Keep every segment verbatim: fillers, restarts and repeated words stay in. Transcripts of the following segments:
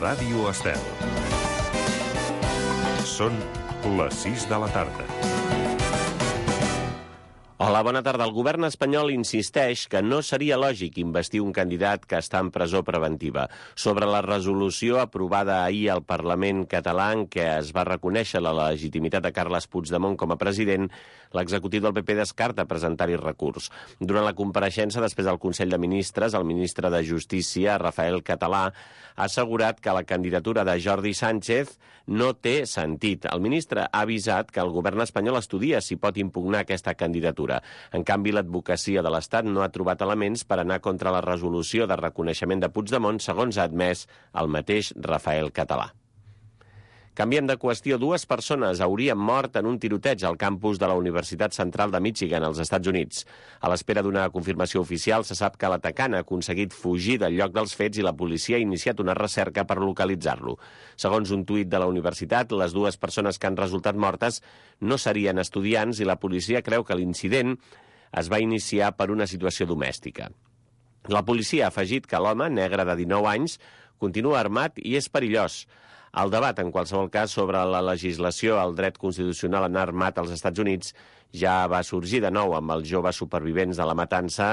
Ràdio Estel. Són les sis de la tarda. Hola, bona tarda. El govern espanyol insisteix que no seria lògic investir un candidat que està en presó preventiva. Sobre la resolució aprovada ahir al Parlament català en què es va reconèixer la legitimitat de Carles Puigdemont com a president, l'executiu del P P descarta presentar-hi recurs. Durant la compareixença després del Consell de Ministres, el ministre de Justícia, Rafael Català, ha assegurat que la candidatura de Jordi Sánchez no té sentit. El ministre ha avisat que el govern espanyol estudia si pot impugnar aquesta candidatura. En canvi, l'advocacia de l'Estat no ha trobat elements per anar contra la resolució de reconeixement de Puigdemont, segons ha admès el mateix Rafael Català. Canviem de qüestió. Dues persones haurien mort en un tiroteig al campus de la Universitat Central de Michigan, als Estats Units. A l'espera d'una confirmació oficial, se sap que l'atacant ha aconseguit fugir del lloc dels fets i la policia ha iniciat una recerca per localitzar-lo. Segons un tuit de la universitat, les dues persones que han resultat mortes no serien estudiants i la policia creu que l'incident es va iniciar per una situació domèstica. La policia ha afegit que l'home, negre de dinou anys, continua armat i és perillós. El debat, en qualsevol cas, sobre la legislació al dret constitucional a anar armat als Estats Units ja va sorgir de nou amb els joves supervivents de la matança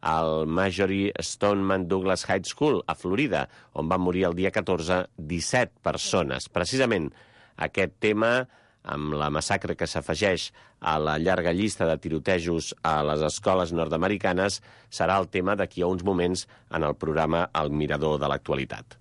al Marjory Stoneman Douglas High School, a Florida, on van morir el dia catorze disset persones. Precisament aquest tema, amb la massacre que s'afegeix a la llarga llista de tirotejos a les escoles nord-americanes, serà el tema d'aquí a uns moments en el programa El Mirador de l'Actualitat.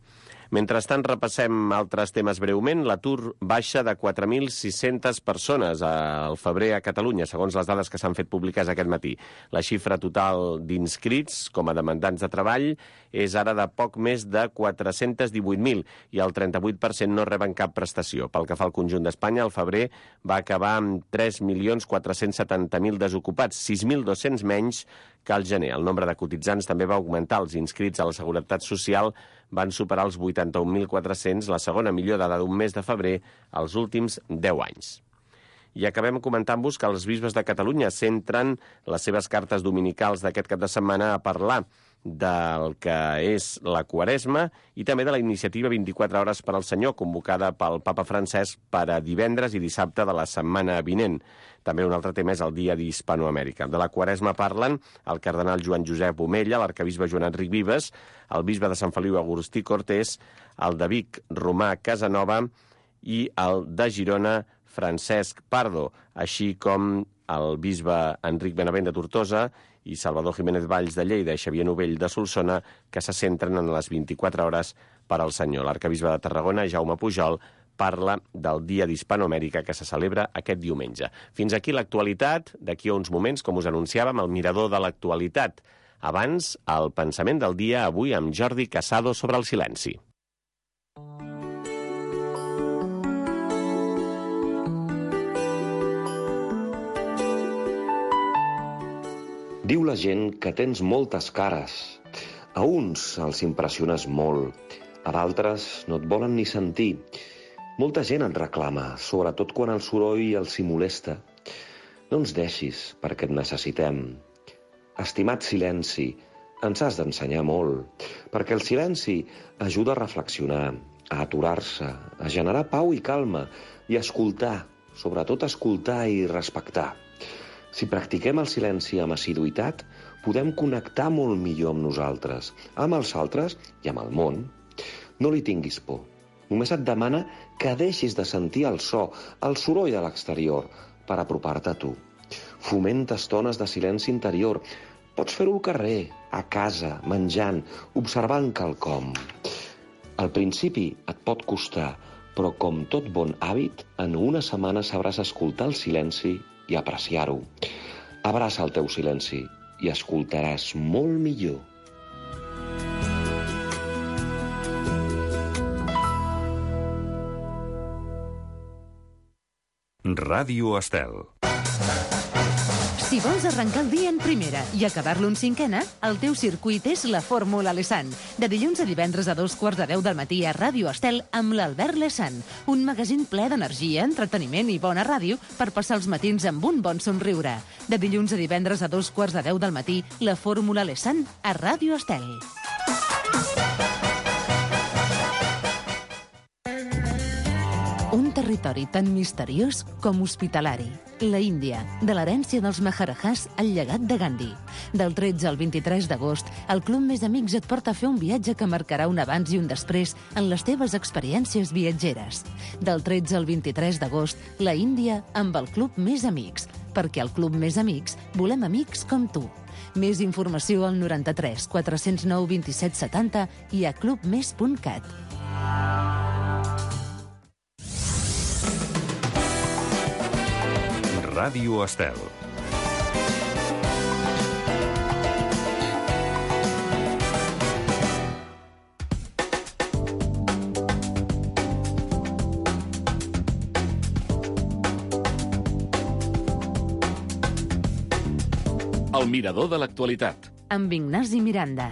Mentrestant, repassem altres temes breument. L'atur baixa de quatre mil sis-centes persones al febrer a Catalunya, segons les dades que s'han fet públiques aquest matí. La xifra total d'inscrits com a demandants de treball és ara de poc més de quatre-cents divuit mil i el trenta-vuit per cent no reben cap prestació. Pel que fa al conjunt d'Espanya, el febrer va acabar amb tres milions quatre-cents setanta mil desocupats, sis mil dos-cents menys que al gener. El nombre de cotitzants també va augmentar. Els inscrits a la Seguretat Social van superar els vuitanta-un mil quatre-cents, la segona millor dada d'un mes de febrer als últims deu anys. I acabem comentant-vos que els bisbes de Catalunya centren les seves cartes dominicals d'aquest cap de setmana a parlar del que és la Quaresma i també de la iniciativa vint-i-quatre hores per al Senyor, convocada pel papa Francesc per a divendres i dissabte de la setmana vinent. També un altre tema és el Dia d'Hispanoamèrica. De la Quaresma parlen el cardenal Joan Josep Omella, l'arcabisbe Joan Enric Vives, el bisbe de Sant Feliu Agustí Cortés, el de Vic Romà Casanova i el de Girona Francesc Pardo, així com el bisbe Enric Benavent de Tortosa i Salvador Jiménez Valls de Lleida i Xavier Novell de Solsona, que se centren en les vint-i-quatre hores per al Senyor. L'arcabisbe de Tarragona, Jaume Pujol, parla del Dia d'Hispanoamèrica que se celebra aquest diumenge. Fins aquí l'actualitat. D'aquí a uns moments, com us anunciàvem, el Mirador de l'Actualitat. Abans, el pensament del dia, avui amb Jordi Casado sobre el silenci. Diu la gent que tens moltes cares. A uns els impressiones molt, a d'altres no et volen ni sentir. Molta gent et reclama, sobretot quan el soroll els hi molesta. No ens deixis, perquè et necessitem. Estimat silenci, ens has d'ensenyar molt, perquè el silenci ajuda a reflexionar, a aturar-se, a generar pau i calma, i a escoltar, sobretot escoltar i respectar. Si practiquem el silenci amb assiduïtat, podem connectar molt millor amb nosaltres, amb els altres i amb el món. No li tinguis por. Només et demana que deixis de sentir el so, el soroll de l'exterior, per apropar-te a tu. Fomenta estones de silenci interior. Pots fer-ho al carrer, a casa, menjant, observant quelcom. Al principi et pot costar, però com tot bon hàbit, en una setmana sabràs escoltar el silenci i apreciar-ho. Abraça el teu silenci i escoltaràs molt millor. Ràdio Estel. Si vols arrencar el dia en primera i acabar-lo en cinquena, el teu circuit és la Fórmula Lesan. De dilluns a divendres a dos quarts de deu del matí a Ràdio Estel amb l'Albert Lesan. Un magazín ple d'energia, entreteniment i bona ràdio per passar els matins amb un bon somriure. De dilluns a divendres a dos quarts de deu del matí, la Fórmula Lesan a Ràdio Estel. Un territori tan misteriós com hospitalari. La Índia, de l'herència dels Maharajahs al llegat de Gandhi. Del tretze al vint-i-tres d'agost, el Club Més Amics et porta a fer un viatge que marcarà un abans i un després en les teves experiències viatgeres. Del tretze al vint-i-tres d'agost, la Índia amb el Club Més Amics. Perquè al Club Més Amics volem amics com tu. Més informació al noranta-tres quatre cents nou vint-i-set setanta i a clubmes punt cat. Ràdio Estel. El mirador de l'actualitat. Amb Ignasi Miranda.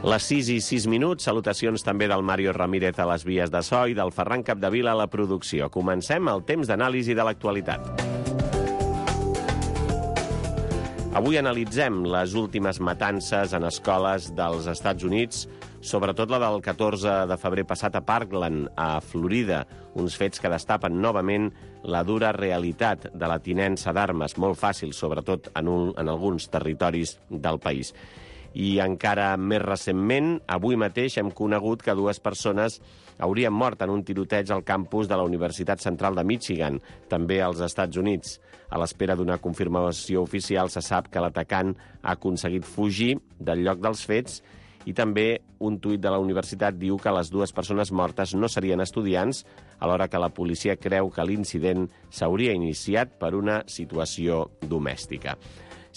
Les sis i sis minuts, salutacions també del Mario Ramírez a les vies de so i del Ferran Capdevila a la producció. Comencem el temps d'anàlisi de l'actualitat. Avui analitzem les últimes matances en escoles dels Estats Units, sobretot la del catorze de febrer passat a Parkland, a Florida, uns fets que destapen novament la dura realitat de la tinença d'armes, molt fàcil, sobretot en, un, en alguns territoris del país. I encara més recentment, avui mateix hem conegut que dues persones haurien mort en un tiroteig al campus de la Universitat Central de Michigan, també als Estats Units. A l'espera d'una confirmació oficial se sap que l'atacant ha aconseguit fugir del lloc dels fets i també un tuit de la universitat diu que les dues persones mortes no serien estudiants, alhora que la policia creu que l'incident s'hauria iniciat per una situació domèstica.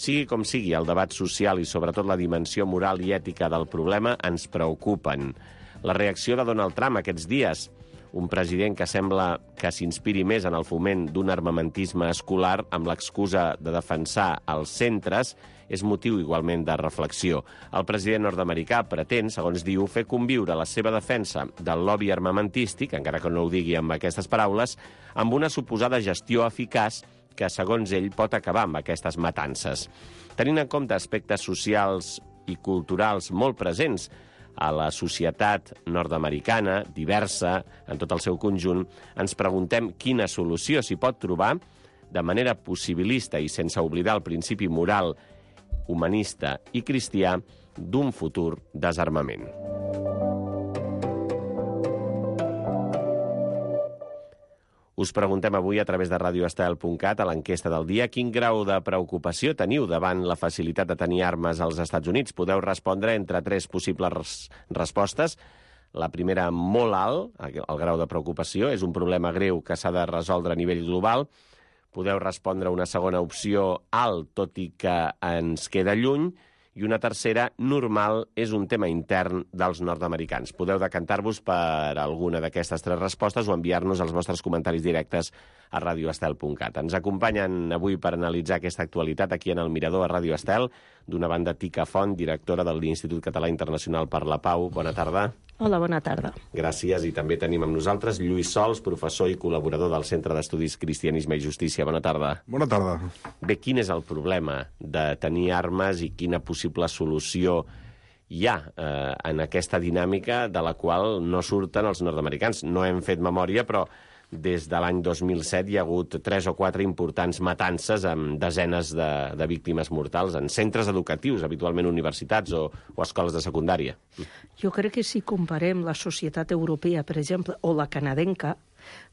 Sigui com sigui, el debat social i sobretot la dimensió moral i ètica del problema ens preocupen. La reacció de Donald Trump aquests dies, un president que sembla que s'inspiri més en el foment d'un armamentisme escolar amb l'excusa de defensar els centres, és motiu igualment de reflexió. El president nord-americà pretén, segons diu, fer conviure la seva defensa del lobby armamentístic, encara que no ho digui amb aquestes paraules, amb una suposada gestió eficaç que, segons ell, pot acabar amb aquestes matances. Tenint en compte aspectes socials i culturals molt presents a la societat nord-americana, diversa en tot el seu conjunt, ens preguntem quina solució s'hi pot trobar de manera possibilista i sense oblidar el principi moral, humanista i cristià d'un futur desarmament. Us preguntem avui a través de radio estel punt cat a l'enquesta del dia quin grau de preocupació teniu davant la facilitat de tenir armes als Estats Units. Podeu respondre entre tres possibles res respostes. La primera, molt alt, el grau de preocupació, és un problema greu que s'ha de resoldre a nivell global. Podeu respondre una segona opció, alt, tot i que ens queda lluny. I una tercera, normal, és un tema intern dels nord-americans. Podeu decantar-vos per alguna d'aquestes tres respostes o enviar-nos els vostres comentaris directes a radio estel punt cat. Ens acompanyen avui per analitzar aquesta actualitat aquí en el Mirador a Ràdio Estel, d'una banda Tica Font, directora de l'Institut Català Internacional per la Pau. Bona tarda. Hola, bona tarda. Gràcies. I també tenim amb nosaltres Lluís Sols, professor i col·laborador del Centre d'Estudis Cristianisme i Justícia. Bona tarda. Bona tarda. Bé, quin és el problema de tenir armes i quina possible solució hi ha eh, en aquesta dinàmica de la qual no surten els nord-americans? No hem fet memòria, però des de l'any dos mil set hi ha hagut tres o quatre importants matances amb desenes de, de víctimes mortals en centres educatius, habitualment universitats o, o escoles de secundària. Jo crec que si comparem la societat europea, per exemple, o la canadenca,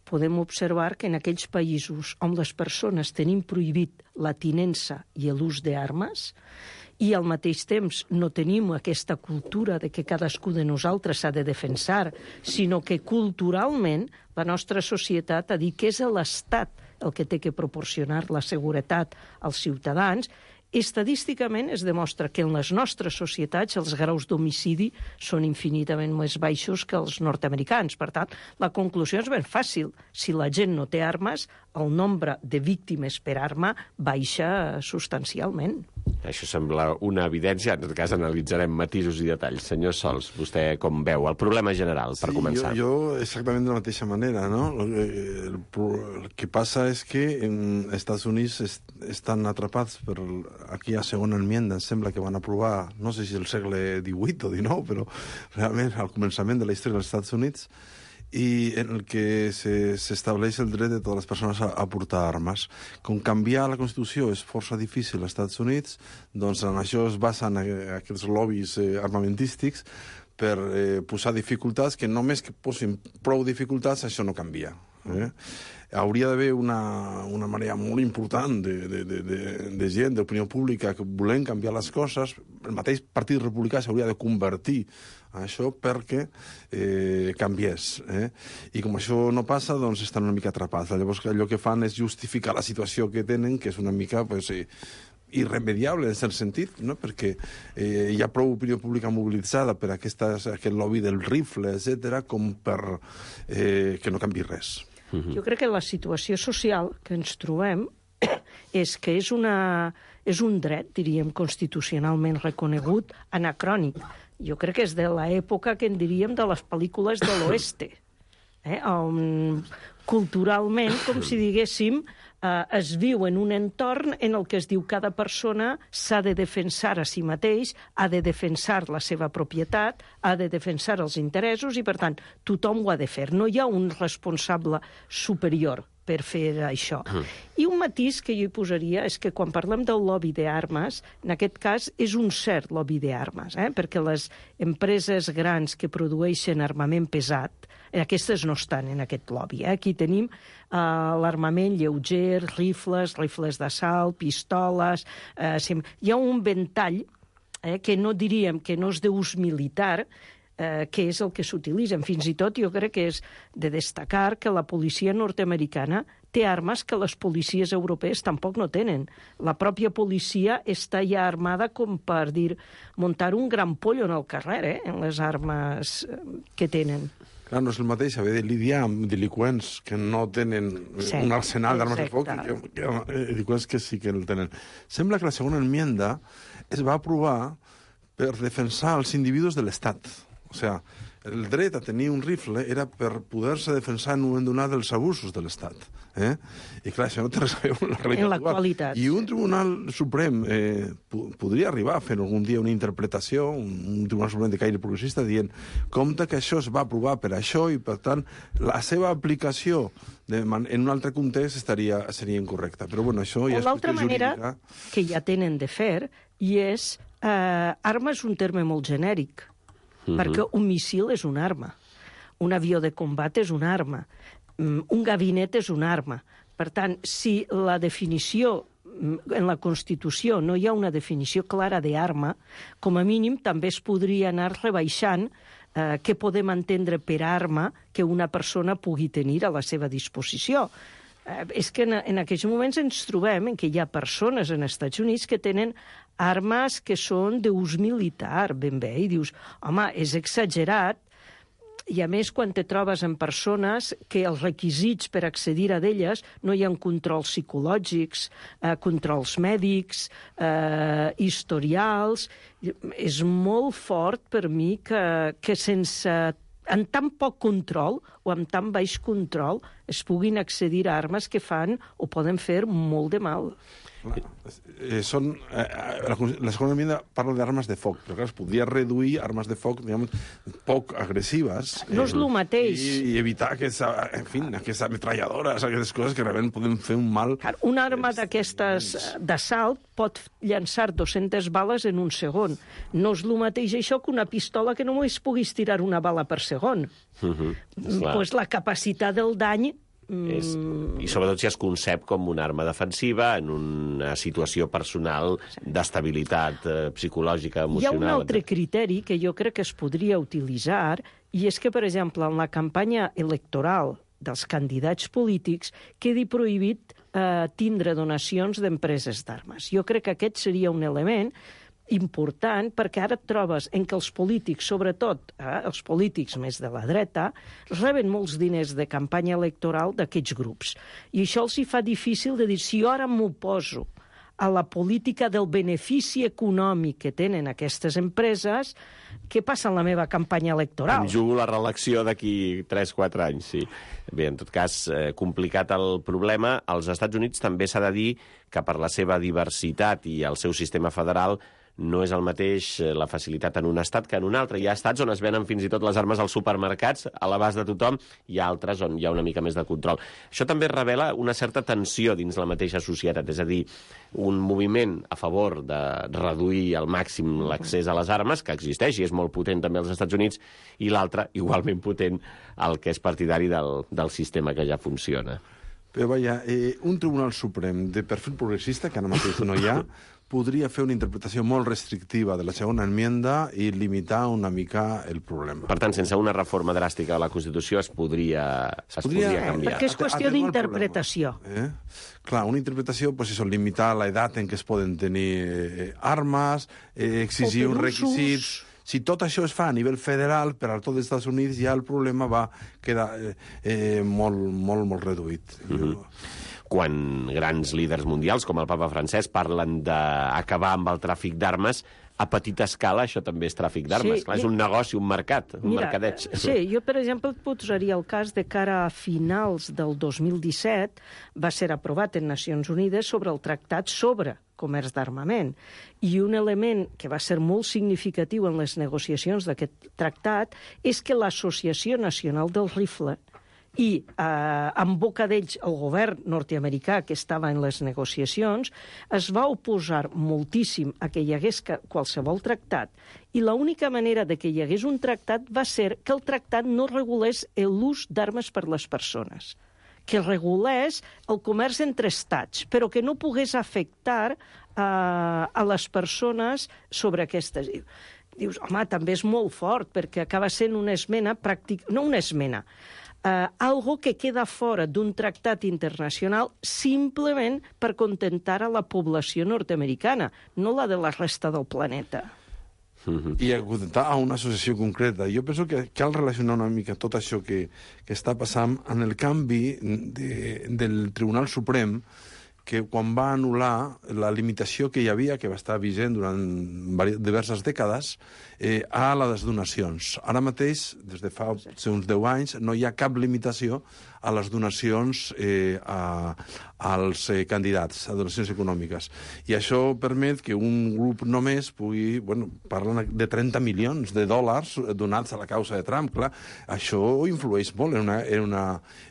podem observar que en aquells països on les persones tenim prohibit la tinença i l'ús d'armes, i al mateix temps no tenim aquesta cultura de que cadascú de nosaltres s'ha de defensar, sinó que culturalment la nostra societat ha dit que és l'Estat el que té que proporcionar la seguretat als ciutadans, estadísticament es demostra que en les nostres societats els graus d'homicidi són infinitament més baixos que els nord-americans. Per tant, la conclusió és ben fàcil. Si la gent no té armes, el nombre de víctimes per arma baixa substancialment. Això sembla una evidència. En tot cas, analitzarem matisos i detalls. Senyor Sols, vostè com veu el problema general, per sí, començar? Jo, jo exactament de la mateixa manera, no? El, el, el que passa és que en Estats Units est, estan atrapats per aquí a segona enmienda, em sembla que van aprovar, no sé si el segle divuit o dinou, però realment al començament de la història dels Estats Units, i en el que s'estableix el dret de totes les persones a, a portar armes. Com canviar la Constitució és força difícil als Estats Units, doncs en això es basen aquests lobbies eh, armamentístics per eh, posar dificultats, que només que posin prou dificultats això no canvia. Eh? Hauria d'haver una, una marea molt important de, de, de, de, de gent, d'opinió pública, que volem canviar les coses. El mateix Partit Republicà s'hauria de convertir a això perquè eh, canviés. Eh? I com això no passa, doncs estan una mica atrapats. Llavors allò que fan és justificar la situació que tenen, que és una mica pues, eh, irremediable en cert sentit, no? Perquè eh, hi ha prou opinió pública mobilitzada per aquestes, aquest lobby del rifle, etcètera, com per eh, que no canvi res. Jo crec que la situació social que ens trobem és que és, una, és un dret, diríem, constitucionalment reconegut, anacrònic. Jo crec que és de l'època que en diríem de les pel·lícules de l'oeste, eh? on culturalment, com si diguéssim, eh, es viu en un entorn en el que es diu cada persona s'ha de defensar a si mateix, ha de defensar la seva propietat, ha de defensar els interessos i, per tant, tothom ho ha de fer. No hi ha un responsable superior per fer això. Mm. I un matís que jo hi posaria és que quan parlem del lobby d'armes, en aquest cas és un cert lobby d'armes, eh? perquè les empreses grans que produeixen armament pesat, aquestes no estan en aquest lobby. Eh? Aquí tenim uh, l'armament lleuger, rifles, rifles d'assalt, pistoles... Uh, hi ha un ventall eh, que no diríem que no és d'ús militar, eh, que és el que s'utilitzen. Fins i tot jo crec que és de destacar que la policia nord-americana té armes que les policies europees tampoc no tenen. La pròpia policia està ja armada com per dir, muntar un gran pollo en el carrer, eh, en les armes que tenen. Clar, no és el mateix haver de lidiar amb delinqüents que no tenen sí, un arsenal d'armes de foc, que, que, que delinqüents que sí que el tenen. Sembla que la segona enmienda es va aprovar per defensar els individus de l'Estat. O sigui, el dret a tenir un rifle era per poder-se defensar en un moment donat dels abusos de l'Estat. Eh? I clar, això no té res a veure amb la realitat. En l'actualitat. I un tribunal suprem eh, podria arribar a fer algun dia una interpretació, un, un tribunal suprem de caire progressista, dient compte que això es va aprovar per això i, per tant, la seva aplicació de man en un altre context estaria, seria incorrecta. Però, bueno, això ja és l'altra manera jurídica que ja tenen de fer, i és... Eh, arma és un terme molt genèric, uh-huh. perquè un míssil és una arma, un avió de combat és una arma, un gabinet és una arma. Per tant, si la definició, en la Constitució no hi ha una definició clara d'arma, com a mínim també es podria anar rebaixant eh, què podem entendre per arma que una persona pugui tenir a la seva disposició. Eh, és que en, en aquells moments ens trobem en què hi ha persones en els Estats Units que tenen armes que són d'ús militar, ben bé, i dius, home, és exagerat. I a més, quan te trobes en persones que els requisits per accedir a d'elles no hi ha controls psicològics, eh, controls mèdics, eh, historials... És molt fort per mi que, que sense... amb tan poc control o amb tan baix control es puguin accedir a armes que fan o poden fer molt de mal. Eh, són, eh, la, la segona enmienda parla d'armes de foc, però clar, es podria reduir armes de foc, diguem, poc agressives. No és eh, el mateix. I, i evitar aquesta, en fi, aquestes ametralladores, aquestes coses que realment poden fer un mal. Una arma d'aquestes d'assalt pot llançar dues-centes bales en un segon. No és el mateix això que una pistola que només puguis tirar una bala per segon. Uh-huh. Pues la capacitat del dany... És, I sobretot si es concep com una arma defensiva en una situació personal d'estabilitat eh, psicològica, emocional... Hi ha un altre criteri que jo crec que es podria utilitzar, i és que, per exemple, en la campanya electoral dels candidats polítics quedi prohibit eh, tindre donacions d'empreses d'armes. Jo crec que aquest seria un element important, perquè ara et trobes en què els polítics, sobretot eh, els polítics més de la dreta, reben molts diners de campanya electoral d'aquests grups. I això els hi fa difícil de dir, si jo ara m'oposo a la política del benefici econòmic que tenen aquestes empreses, què passa en la meva campanya electoral? Em jugo la reelecció d'aquí tres o quatre anys, sí. Bé, en tot cas, eh, complicat el problema. Als Estats Units també s'ha de dir que per la seva diversitat i el seu sistema federal no és el mateix la facilitat en un estat que en un altre. Hi ha estats on es venen fins i tot les armes als supermercats, a l'abast de tothom, i altres on hi ha una mica més de control. Això també revela una certa tensió dins la mateixa societat, és a dir, un moviment a favor de reduir al màxim l'accés a les armes, que existeix i és molt potent també als Estats Units, i l'altre, igualment potent, el que és partidari del, del sistema que ja funciona. Però vaja, eh, un Tribunal Suprem de perfil progressista, que ara mateix no hi ha, podria fer una interpretació molt restrictiva de la segona enmienda i limitar una mica el problema. Per tant, sense una reforma dràstica de la Constitució es podria, es podria, podria canviar. Perquè és qüestió d'interpretació. Eh? Clar, una interpretació, pues eso, limitar l'edat en què es poden tenir eh, armes, eh, exigir uns requisits... Si tot això es fa a nivell federal, per a tot els Estats Units, ja el problema va quedar eh, eh, molt, molt, molt reduït. Mm-hmm. Jo... Quan grans líders mundials, com el papa francès, parlen d'acabar amb el tràfic d'armes, a petita escala això també és tràfic d'armes. Sí, Clar, és un negoci, un mercat, un mira, mercadeig. Sí, jo, per exemple, et posaria el cas de cara a finals del dos mil disset va ser aprovat en Nacions Unides sobre el tractat sobre comerç d'armament. I un element que va ser molt significatiu en les negociacions d'aquest tractat és que l'Associació Nacional del Rifle i eh, en boca d'ells el govern nord-americà que estava en les negociacions es va oposar moltíssim a que hi hagués qualsevol tractat, i l'única manera de que hi hagués un tractat va ser que el tractat no regulés l'ús d'armes per les persones, que regulés el comerç entre estats, però que no pogués afectar eh, a les persones sobre aquestes. Dius, home, també és molt fort, perquè acaba sent una esmena pràctica, no una esmena, Uh, algo que queda fora d'un tractat internacional simplement per contentar a la població nord-americana, no la de la resta del planeta. Mm-hmm. I acontentar a una associació concreta. Jo penso que cal relacionar una mica tot això que, que està passant en el canvi de, del Tribunal Suprem, que quan va anul·lar la limitació que hi havia, que va estar vigent durant diverses dècades, eh, a les donacions. Ara mateix, des de fa uns deu anys, no hi ha cap limitació a les donacions eh, a, als eh, candidats, a donacions econòmiques. I això permet que un grup només pugui... Bueno, parlen de trenta milions de dòlars donats a la causa de Trump, clar. Això influeix molt en una, en una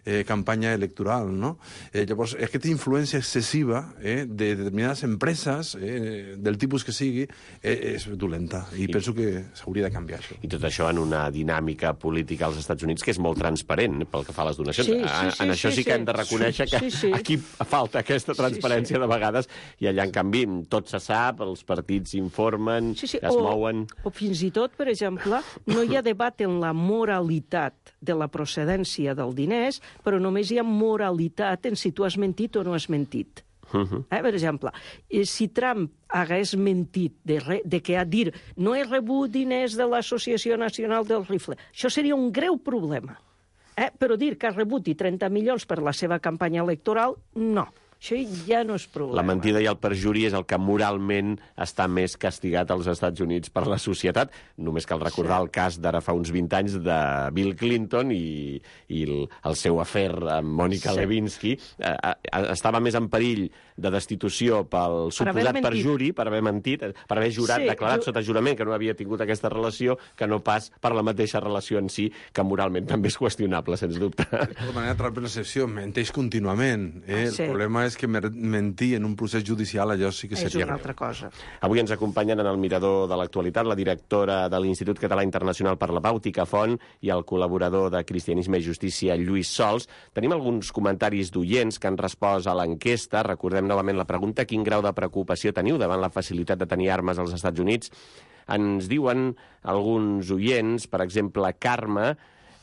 eh, campanya electoral, no? Eh, llavors, aquesta influència excessiva eh, de determinades empreses, eh, del tipus que sigui, eh, és dolenta. I, I penso que s'hauria de canviar això. I tot això en una dinàmica política als Estats Units que és molt transparent pel que fa a les donacions. Sí, sí, sí, en això sí, sí que hem de reconèixer sí, que sí, sí. aquí falta aquesta transparència sí, sí. de vegades, i allà, en canvi, tot se sap, els partits informen, sí, sí. es o, mouen... O fins i tot, per exemple, no hi ha debat en la moralitat de la procedència dels diners, però només hi ha moralitat en si tu has mentit o no has mentit. Uh-huh. Eh, per exemple, si Trump hagués mentit de, re, de que a dir no he rebut diners de l'Associació Nacional del Rifle, això seria un greu problema. Eh, però dir que ha rebut i trenta milions per la seva campanya electoral, no. Això ja no és problema. La mentida i el perjuri és el que moralment està més castigat als Estats Units per la societat. Només cal recordar sí. el cas d'ara fa uns vint anys de Bill Clinton i, i el, el seu afer amb Mònica sí. Lewinsky. Eh, eh, estava més en perill de destitució pel suposat perjuri, per haver mentit, per haver jurat, sí, declarat jo... sota jurament que no havia tingut aquesta relació, que no pas per la mateixa relació en si, que moralment també és qüestionable, sens dubte. De tota manera, Trump en la excepció menteix contínuament. Eh? Sí. El problema és que mentir en un procés judicial, allò sí que seria... És una altra cosa. Avui ens acompanyen en el mirador de l'actualitat la directora de l'Institut Català Internacional per la Pau, Tica Font, i el col·laborador de Cristianisme i Justícia, Lluís Sols. Tenim alguns comentaris d'oients que han respost a l'enquesta. Recordem novament la pregunta: quin grau de preocupació teniu davant la facilitat de tenir armes als Estats Units? Ens diuen alguns oients, per exemple, Carme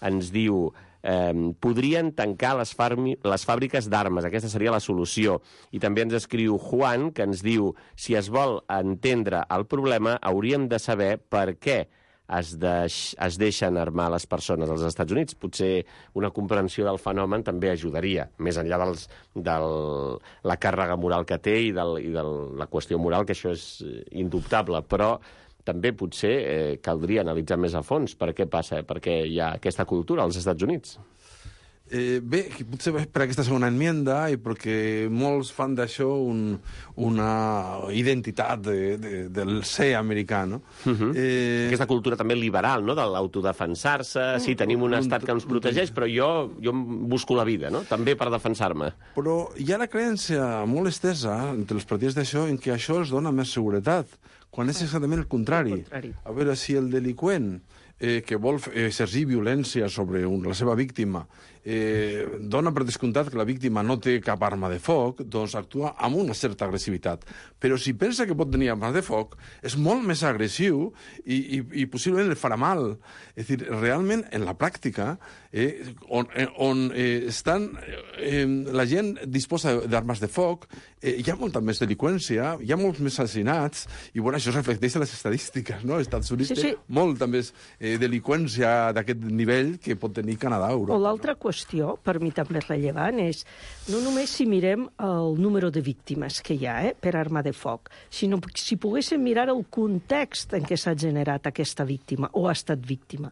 ens diu... eh, podrien tancar les, les fàbriques d'armes. Aquesta seria la solució. I també ens escriu Juan, que ens diu: si es vol entendre el problema, hauríem de saber per què es, deix, es deixen armar les persones als Estats Units. Potser una comprensió del fenomen també ajudaria, més enllà dels, de la càrrega moral que té i, del, i de la qüestió moral, que això és indubtable, però també potser eh, caldria analitzar més a fons per què passa, per què hi ha aquesta cultura als Estats Units. Eh, bé, potser per aquesta segona enmienda i perquè molts fan d'això un, una identitat de, de, del ser americà, no? Uh-huh. eh... Aquesta cultura també liberal, no?, de l'autodefensar-se. Sí, tenim un estat que ens protegeix, però jo, jo busco la vida, no?, també per defensar-me. Però hi ha la creença molt estesa entre els partits d'això en què això els dona més seguretat, quan és exactament el contrari. El contrari. A veure, si el delinqüent eh, que vol exercir violència sobre un, la seva víctima eh, dona per descomptat que la víctima no té cap arma de foc, doncs actua amb una certa agressivitat. Però si pensa que pot tenir arma de foc, és molt més agressiu i, i, i possiblement el farà mal. És a dir, realment, en la pràctica, eh, on, on eh, estan, eh, la gent disposa d'armes de foc, eh, hi ha molta més delinqüència, hi ha molts més assassinats, i bueno, això es reflecteix en les estadístiques, no? Els Estats Units sí, sí. té molta més eh, delinqüència d'aquest nivell que pot tenir Canadà o Europa. O l'altra no? qüestió, per mi també rellevant, és no només si mirem el número de víctimes que hi ha eh, per arma de foc, sinó si poguéssim mirar el context en què s'ha generat aquesta víctima o ha estat víctima.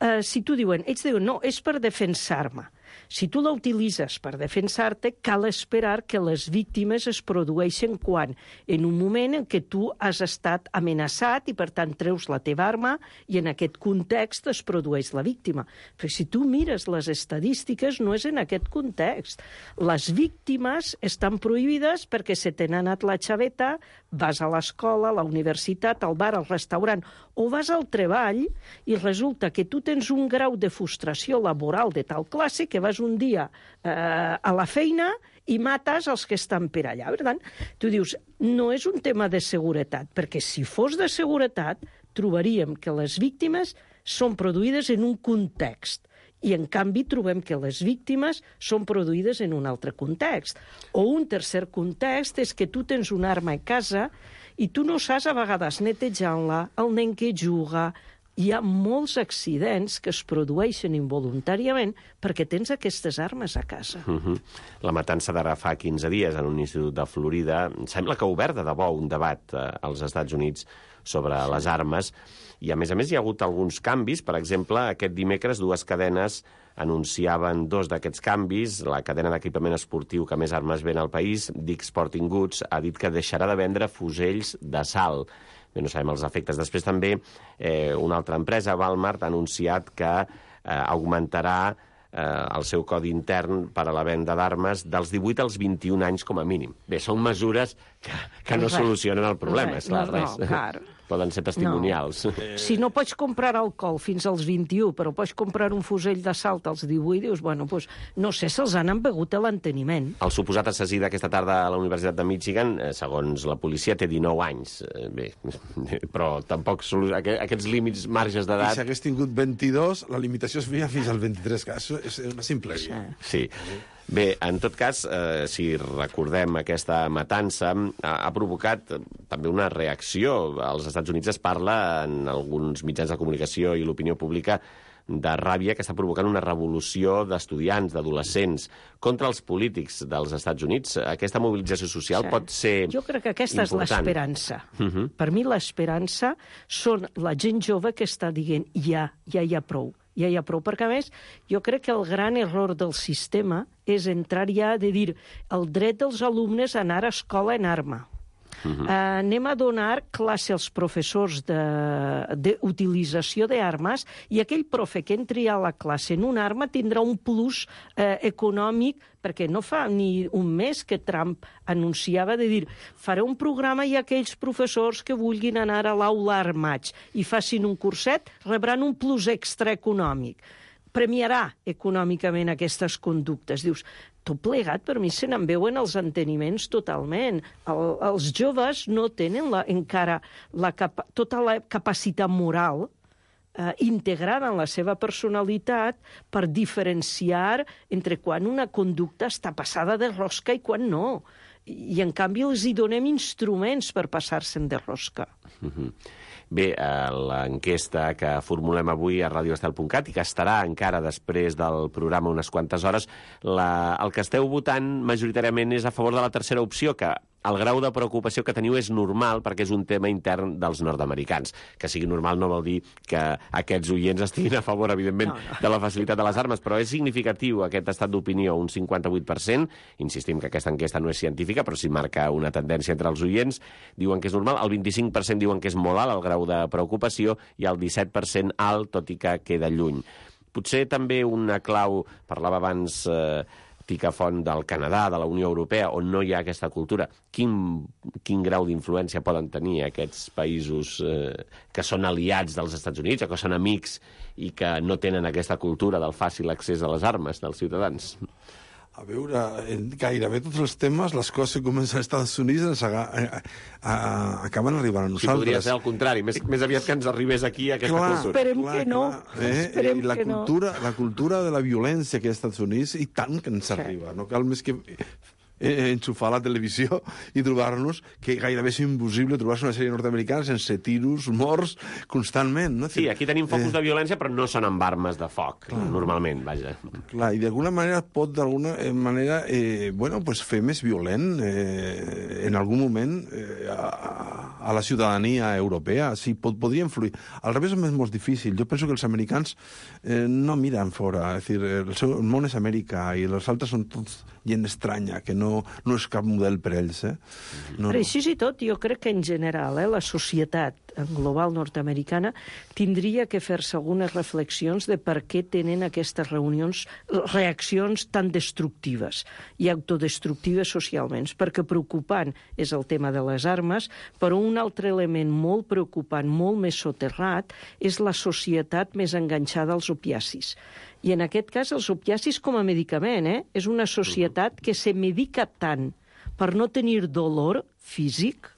Uh, si tu diuen, ells diuen, no, és per defensar-me. Si tu la utilitzes per defensar-te, cal esperar que les víctimes es produeixen quan? En un moment en què tu has estat amenaçat i, per tant, treus la teva arma i en aquest context es produeix la víctima. Però si tu mires les estadístiques, no és en aquest context. Les víctimes estan prohibides perquè se t'ha anat la xaveta, vas a l'escola, a la universitat, al bar, al restaurant, o vas al treball i resulta que tu tens un grau de frustració laboral de tal classe que vas un dia eh, a la feina i mates els que estan per allà. Per tant, tu dius, no és un tema de seguretat, perquè si fos de seguretat trobaríem que les víctimes són produïdes en un context i, en canvi, trobem que les víctimes són produïdes en un altre context. O un tercer context és que tu tens una arma a casa i tu no saps a vegades netejant-la, el nen que juga. Hi ha molts accidents que es produeixen involuntàriament perquè tens aquestes armes a casa. Uh-huh. La matança d'ara fa quinze dies en un institut de Florida sembla que ha obert de debò un debat eh, als Estats Units sobre sí. les armes, i a més a més hi ha hagut alguns canvis. Per exemple, aquest dimecres dues cadenes anunciaven dos d'aquests canvis. La cadena d'equipament esportiu que més armes ven al país, Dick's Sporting Goods, ha dit que deixarà de vendre fusells d'assalt. Bé, no sabem els efectes. Després també eh, una altra empresa, Walmart, ha anunciat que eh, augmentarà eh, el seu codi intern per a la venda d'armes dels divuit als vint-i-un anys com a mínim. Bé, són mesures que, que no res. solucionen el problema, res, és clar, no, res. No, clar. Poden ser testimonials. No. Si no pots comprar alcohol fins als vint-i-u, però pots comprar un fusell d'assalt als divuit, dius, bueno, doncs, no sé, se'ls han embegut a l'enteniment. El suposat assassí d'aquesta tarda a la Universitat de Michigan, segons la policia, té dinou anys. Bé, però tampoc aquests límits, marges d'edat... I si hagués tingut vint-i-dos, la limitació es feia fins al vint-i-tres, que és una simple. Sí. Bé, en tot cas, eh, si recordem aquesta matança, ha, ha provocat també una reacció. Als Estats Units es parla en alguns mitjans de comunicació i l'opinió pública de ràbia que està provocant una revolució d'estudiants, d'adolescents, contra els polítics dels Estats Units. Aquesta mobilització social sí. pot ser important. Jo crec que aquesta important. és l'esperança. Uh-huh. Per mi l'esperança són la gent jove que està dient ja, ja hi ha prou. Ja hi ha prou, perquè a més jo crec que el gran error del sistema és entrar ja de dir el dret dels alumnes a anar a escola en arma. Uh-huh. Uh, anem a donar classe als professors d'utilització d'armes i aquell profe que entri a la classe en una arma tindrà un plus uh, econòmic, perquè no fa ni un mes que Trump anunciava de dir faré un programa i aquells professors que vulguin anar a l'aula armats i facin un curset rebran un plus extra econòmic. Premiarà econòmicament aquestes conductes. Dius, tot plegat, per mi se n'en veuen els enteniments totalment. El, els joves no tenen la, encara la capa, tota la capacitat moral eh, integrada en la seva personalitat per diferenciar entre quan una conducta està passada de rosca i quan no. I, en canvi, els hi donem instruments per passar-se'n de rosca. Mm-hmm. Bé, l'enquesta que formulem avui a radio estel punt cat i que estarà encara després del programa unes quantes hores, la, el que esteu votant majoritàriament és a favor de la tercera opció, que el grau de preocupació que teniu és normal perquè és un tema intern dels nord-americans. Que sigui normal no vol dir que aquests oients estiguin a favor, evidentment, no, no. de la facilitat de les armes, però és significatiu aquest estat d'opinió, un cinquanta-vuit per cent. Insistim que aquesta enquesta no és científica, però sí marca una tendència entre els oients. Diuen que és normal, el vint-i-cinc per cent diuen que és molt alt el grau de preocupació i el disset per cent alt, tot i que queda lluny. Potser també una clau, parlava abans eh, Tica Font, del Canadà, de la Unió Europea, on no hi ha aquesta cultura. Quin, quin grau d'influència poden tenir aquests països eh, que són aliats dels Estats Units o que són amics i que no tenen aquesta cultura del fàcil accés a les armes dels ciutadans? A veure, en gairebé tots els temes, les coses que comencen als Estats Units ens aga, a, a, acaben arribant a nosaltres. Sí, podria ser al contrari, més, més aviat que ens arribés aquí aquesta clar, cultura. Esperem clar, que no. Clar, eh? Esperem I la que cultura, no. La cultura de la violència que hi ha als Estats Units, i tant que ens sí. arriba. No cal més que eh, enxufar la televisió i trobar-nos que gairebé és impossible trobar-se una sèrie nord-americana sense tiros, morts, constantment. No? Sí, aquí tenim focus eh... de violència, però no són amb armes de foc, clar. Normalment, vaja. Clar, i d'alguna manera pot d'alguna manera eh, bueno, pues fer més violent eh, en algun moment eh, a, a la ciutadania europea. Sí, pot, podria influir. Al revés és molt difícil. Jo penso que els americans eh, no miren fora. És dir, el, seu, el món és Amèrica i els altres són tots gent estranya, que no, no és cap model per ells. Eh? No, Però així i tot, jo crec que en general eh, la societat global nord-americana tindria que fer-se algunes reflexions de per què tenen aquestes reunions, reaccions tan destructives i autodestructives socialment, perquè preocupant és el tema de les armes, però un altre element molt preocupant, molt més soterrat, és la societat més enganxada als opiacis. I en aquest cas els opiacis com a medicament, eh? És una societat que se medica tant per no tenir dolor físic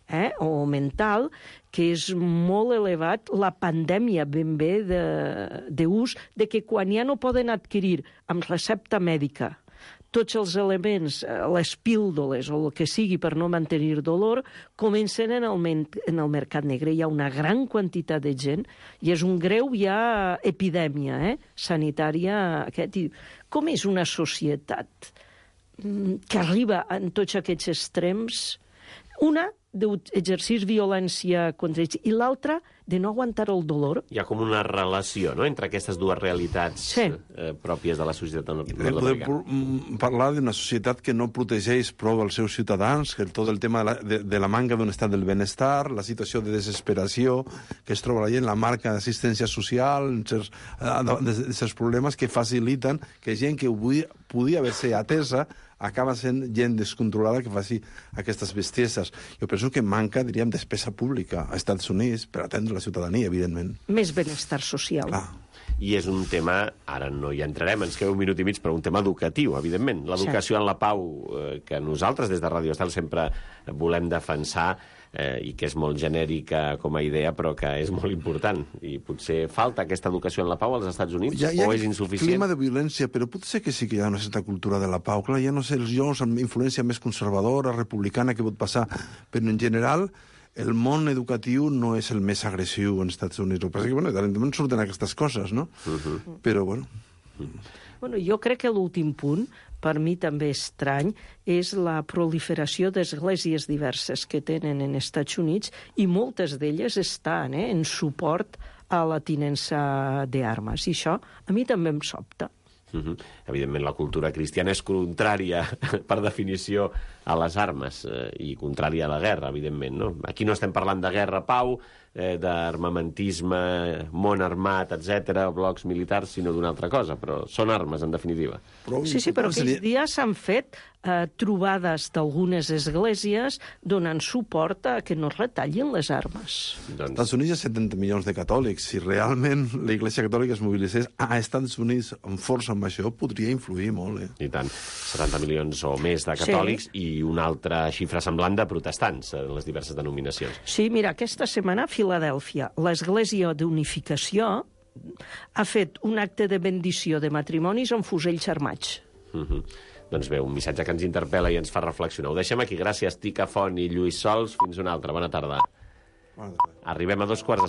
eh? o mental, que és molt elevat la pandèmia ben bé d'ús, de, de que quan ja no poden adquirir amb recepta mèdica tots els elements, les píldoles o el que sigui per no mantenir dolor, comencen en el, en el mercat negre. Hi ha una gran quantitat de gent i és un greu ja epidèmia eh? sanitària. Aquest. Com és una societat que arriba en tots aquests extrems? Una, d'exercir violència contra ells, i l'altra, de no aguantar el dolor. Hi ha com una relació, no?, entre aquestes dues realitats sí. eh, pròpies de la societat nord-americana. Podem parlar d'una societat que no protegeix prou els seus ciutadans, que tot el tema de la, de, de la manca d'un estat del benestar, la situació de desesperació que es troba la gent, la marca d'assistència social, certs, certs problemes que faciliten que gent que podia, podia haver-se atesa acaba sent gent descontrolada que faci aquestes bestieses. Jo penso que manca, diríem, despesa pública als Estats Units per atendre la ciutadania, evidentment. Més benestar social. Clar. I és un tema, ara no hi entrarem, ens queda un minut i mig, però un tema educatiu, evidentment. L'educació sí. en la pau, eh, que nosaltres des de Radio Estel sempre volem defensar, eh, i que és molt genèrica com a idea, però que és molt important. I potser falta aquesta educació en la pau als Estats Units, ja, ja o és insuficient? Clima de violència, però potser que sí que hi ha una certa cultura de la pau. Clar, ja no sé, els jocs amb influència més conservadora, republicana, que pot passar, però en general el món educatiu no és el més agressiu als Estats Units. El que passa és que, bueno, també surten aquestes coses, no? Uh -huh. Però, bueno... Uh -huh. Bueno, jo crec que l'últim punt, per mi també estrany, és la proliferació d'esglésies diverses que tenen en Estats Units i moltes d'elles estan eh, en suport a la tinença d'armes. I això a mi també em sobta. Uh-huh. Evidentment, la cultura cristiana és contrària, per definició, a les armes eh, i contrària a la guerra, evidentment. No? Aquí no estem parlant de guerra-pau, eh, d'armamentisme, món armat, etcètera, blocs militars, sinó d'una altra cosa, però són armes, en definitiva. Sí, sí, però aquests dies s'han fet eh, trobades d'algunes esglésies donant suport a que no es retallin les armes. Doncs... Als Estats Units hi ha setanta milions de catòlics. Si realment la Iglesia Catòlica es mobilitzés a Estats Units amb força amb això, podria influir molt. Eh? I tant. setanta milions o més de catòlics sí. i i una altra xifra semblant de protestants en les diverses denominacions. Sí, mira, aquesta setmana a Filadèlfia l'Església d'Unificació ha fet un acte de bendició de matrimonis amb fusells armats. Uh-huh. Doncs bé, un missatge que ens interpel·la i ens fa reflexionar. Ho deixem aquí. Gràcies, Tica Font i Lluís Sols. Fins una altra. Bona tarda. Bona tarda. Arribem a dos quarts de